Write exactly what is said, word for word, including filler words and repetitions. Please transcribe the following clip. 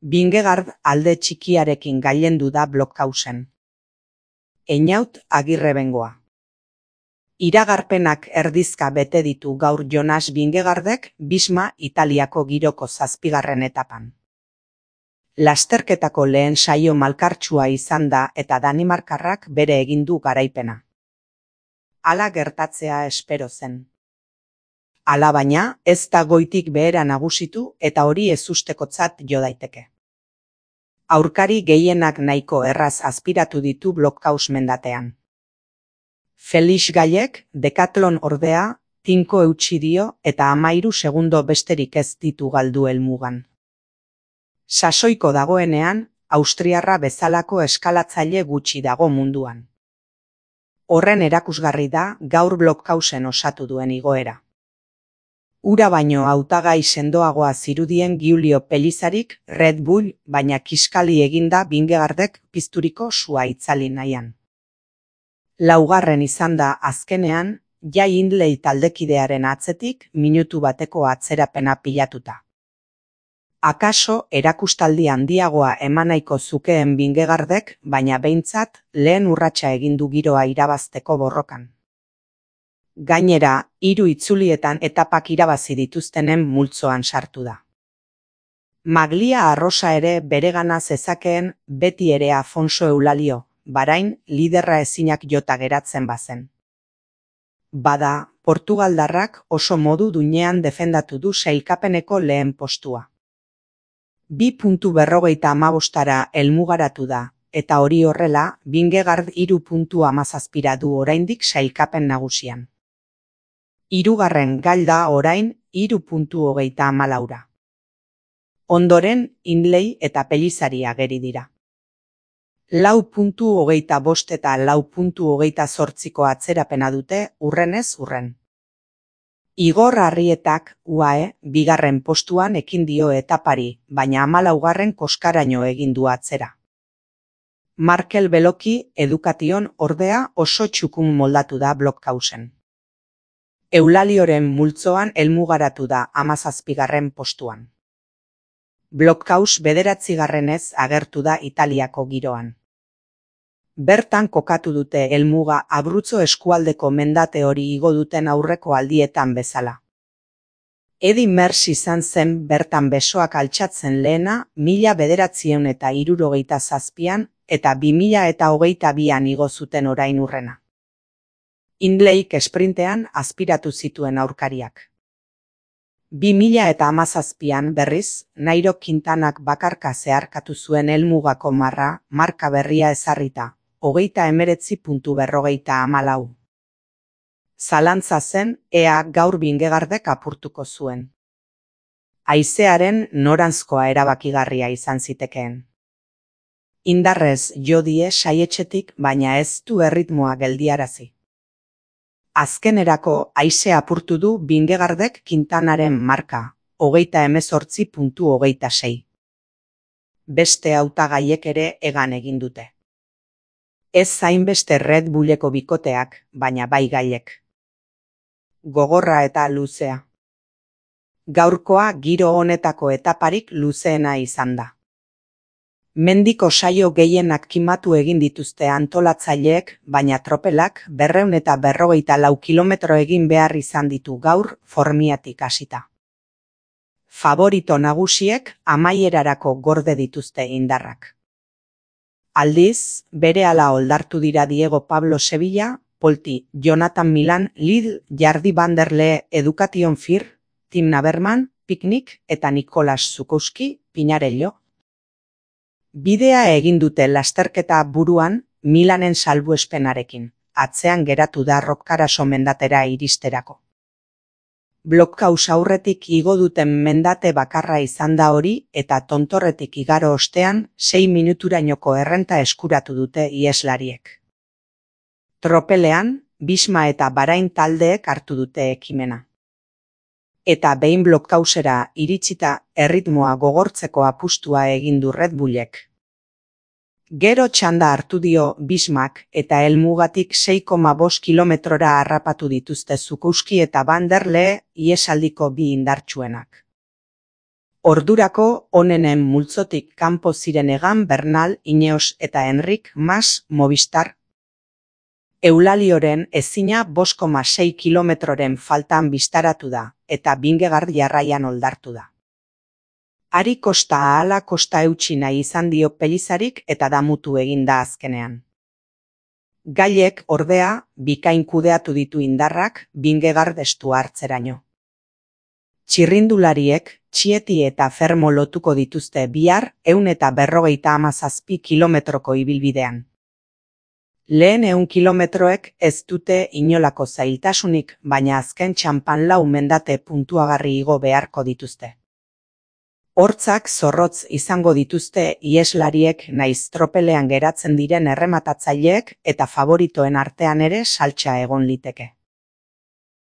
Vingegaard alde txikiarekin gailendu da Blockhausen. Einaut Agirre Bengoa. Iragarpenak erdizka bete ditu gaur Jonas Vingegaardek Bisma Italiako giroko zazpigarren etapan. Lasterketako lehen saio malkartsua izan da eta danimarkarrak bere egin du garaipena. Hala gertatzea espero zen. Alabaina, ez da goitik behera nagusitu eta hori ezustekotzat jo daiteke. Aurkari gehienak nahiko erraz azpiratu ditu Blockhaus mendatean. Felix Gallek, Decathlon ordea, tinko eutsi dio eta hamairu segundo besterik ez ditu galdu helmugan. Sasoiko dagoenean, austriarra bezalako eskalatzaile gutxi dago munduan. Horren erakusgarri da gaur Blockhausen osatu duen igoera. Ura baino hautagai sendoagoa zirudien Giulio Pellizarik Red Bull, baina kiskali eginda Vingegaardek pizturiko sua itzali nahian. Laugarren izan da azkenean, Jai Hindley taldekidearen atzetik minutu bateko atzerapena pilatuta. Akaso erakustaldi handiagoa eman nahiko zukeen Vingegaardek, baina behintzat lehen urratsa egin du giroa irabazteko borrokan. Gainera, hiru itzulietan etapak irabazi dituztenen multzoan sartu da. Maglia arrosa ere beregana zezakeen beti ere Afonso Eulalio, Barain liderra ezinak jota geratzen bazen. Bada, Portugaldarrak oso modu duinean defendatu du sailkapeneko lehen postua. Bi puntu berrogeita hamabostara helmugaratu da, eta hori horrela, Vingegaard hiru puntu hamazazpira du oraindik sailkapen nagusian. Hirugarren galda orain hiru puntu hogeita hamalaura. Ondoren, Hindley eta Pellizari ageri dira. Lau puntu hogeita bost eta lau puntu hogeita zortziko atzerapena dute urrenez urren. Igor Arrietak, U A E, bigarren postuan ekin dio etapari, baina hamalaugarren koskaraino egin du atzera. Markel Beloki Education ordea oso txukun moldatu da Blockhausen. Eulalioren multzoan helmugaratu da hamazazpigarren postuan. Blockhaus bederatzigarrenez agertu da Italiako giroan. Bertan kokatu dute helmuga Abruzzo eskualdeko mendate hori igo duten aurreko aldietan bezala. Eddy Merckx izan zen bertan besoak altxatzen lehena mila bederatziehun eta hirurogeita zazpian eta bi mila eta hogeita bian igo zuten orain urrena. Hindleyk esprintean azpiratu zituen aurkariak. Bi mila eta hamazazpian berriz, Nairo Quintanak bakarka zeharkatu zuen helmugako marra, marka berria ezarrita, hogeita emeretzi puntu berrogeita hamalau. Zalantza zen, ea gaur Vingegaardek apurtuko zuen. Haizearen noranzkoa erabakigarria izan zitekeen. Indarrez jo die saietxetik, baina ez du erritmoa geldiarazi. Azkenerako haize apurtu du Vingegaardek Quintanaren marka, hogeita hemezortzi puntu hogeita sei. Beste hautagaiek ere egan egin dute. Ez zainbeste Red Bulleko bikoteak, baina bai Gallek. Gogorra eta luzea. Gaurkoa giro honetako etaparik luzeena izan da. Mendiko saio gehienak kimatu egin dituzte antolatzaileek, baina tropelak berrehun eta berrogeita lau kilometro egin behar izan ditu gaur Formiatik hasita. Favorito nagusiek amaierarako gorde dituzte indarrak. Aldiz, berehala oldartu dira Diego Pablo Sevilla, Polti, Jonathan Milan, Lidl, Jardi van der Lee, Education Fir, Tim Naberman, Picnic eta Nicolas Zukowski, Pinarello. Bidea egin dute lasterketa buruan Milanen salbuespenarekin, atzean geratu da Roccaraso mendatera iristerako. Blockhaus aurretik igo duten mendate bakarra izan da hori eta tontorretik igaro ostean sei minuturainoko errenta eskuratu dute ieslariek. Tropelean, Bisma eta Barain taldeek hartu dute ekimena. Eta behin Blockhausera iritsita erritmoa gogortzeko apustua egin du Red Bullek. Gero txanda hartu dio Bismak eta helmugatik sei koma bost kilometrora harrapatu dituzte Zukowski eta van der Lee iesaldiko bi indartsuenak. Ordurako onenen multzotik kanpo ziren egan Bernal, Ineos eta Enrik Mas Movistar. Eulalioren ezina bost koma sei kilometroren faltan bistaratu da, eta Vingegaard jarraian oldartu da. Ari kosta ahala kosta eutsi nahi izan dio Pelizarik eta damutu egin da azkenean. Gailek, ordea, bikain kudeatu ditu indarrak Vingegaard estu hartzeraino. Txirrindulariek, Txieti eta Fermo lotuko dituzte bihar ehun eta berrogeita hamazazpi kilometroko ibilbidean. Lehen ehun kilometroek ez dute inolako zailtasunik, baina azken txanpan lau mendate puntuagarri igo beharko dituzte. Hortzak zorrotz izango dituzte iheslariek naiz tropelean geratzen diren errematatzaileek eta favoritoen artean ere saltsa egon liteke.